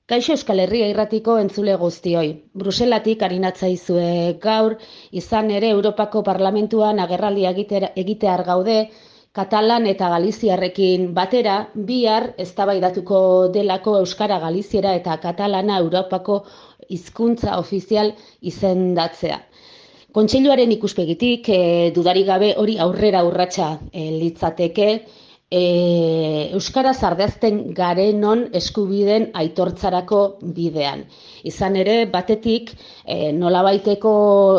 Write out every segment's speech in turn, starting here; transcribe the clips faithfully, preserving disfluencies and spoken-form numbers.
Kaixo Euskal Herria irratiko entzule guztioi. Bruselatik arinatzaizue gaur, izan ere Europako Parlamentuan agerraldia egitear gaude, Katalan eta Galiziarrekin batera, bihar eztabaidatuko delako Euskara, Galiziera eta Katalana Europako hizkuntza ofizial izendatzea. Kontseiluaren ikuspegitik, e, dudarik gabe hori aurrera urratsa e, litzateke, E, Euskaraz ardazten garenon eskubideen aitortzarako bidean. Izan ere, batetik, e, nolabaiteko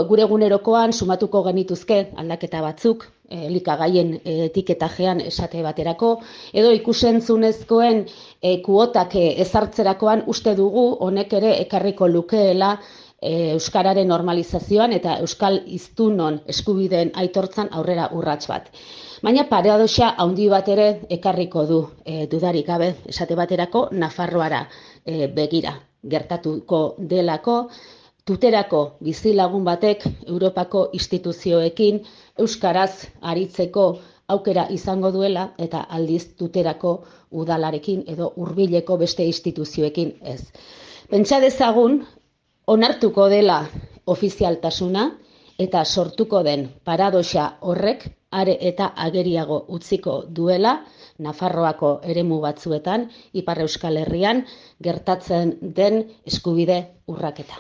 gure egunerokoan sumatuko genituzke aldaketa batzuk, e, elikagaien etiketajean esate baterako, edo ikusentzunezkoen e, kuotak ezartzerakoan uste dugu honek ere ekarriko lukeela e, Euskararen normalizazioan eta Euskal hiztunon eskubideen aitortzan aurrera urrats bat. Baina paradoxa handi bat ere ekarriko du, e, dudarik gabe, esate baterako Nafarroara e, begira gertatuko delako, tuterako bizilagun batek Europako instituzioekin euskaraz aritzeko aukera izango duela eta aldiz tuterako udalarekin edo hurbileko beste instituzioekin ez. Pentsa dezagun onartuko dela ofizialtasuna eta sortuko den paradoxa horrek are eta ageriago utziko duela Nafarroako eremu batzuetan, Ipar Euskal Herrian gertatzen den eskubide urraketa.